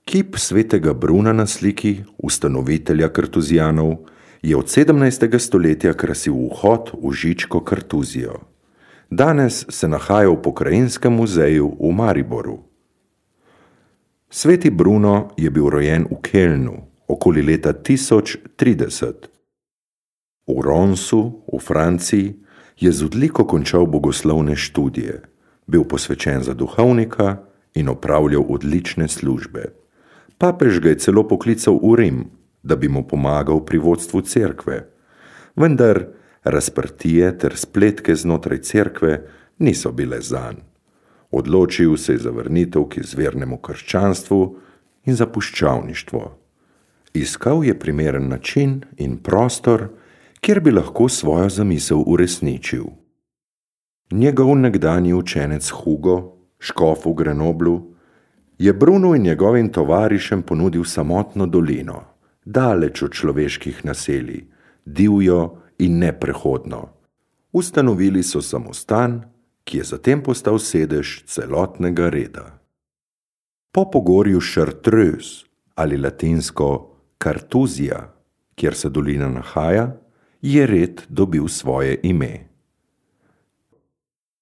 Kip svetega Bruna na sliki, ustanovitelja kartuzijanov, je od 17. stoletja krasil vhod v Žičko kartuzijo. Danes se nahaja v Pokrajinskem muzeju v Mariboru. Sveti Bruno je bil rojen v Kelnu okoli leta 1030. V Ronsu, v Franciji, je z odliko končal bogoslovne študije, bil posvečen za duhovnika in opravljal odlične službe. Papež ga je celo poklical v Rim, da bi mu pomagal pri vodstvu cerkve, vendar razprtije ter spletke znotraj cerkve niso bile zanj. Odločil se je za vrnitev k izvirnemu krščanstvu in za puščavništvo. Iskal je primeren način in prostor, kjer bi lahko svojo zamisel uresničil. Njegov nekdanji učenec Hugo, škof v Grenoblu, je Brunu in njegovim tovarišem ponudil samotno dolino, daleč od človeških naselij, divjo in neprehodno. Ustanovili so samostan, ki je zatem postal sedež celotnega reda. Po pogorju Chartreuse ali latinsko Kartuzija, kjer se dolina nahaja, je red dobil svoje ime.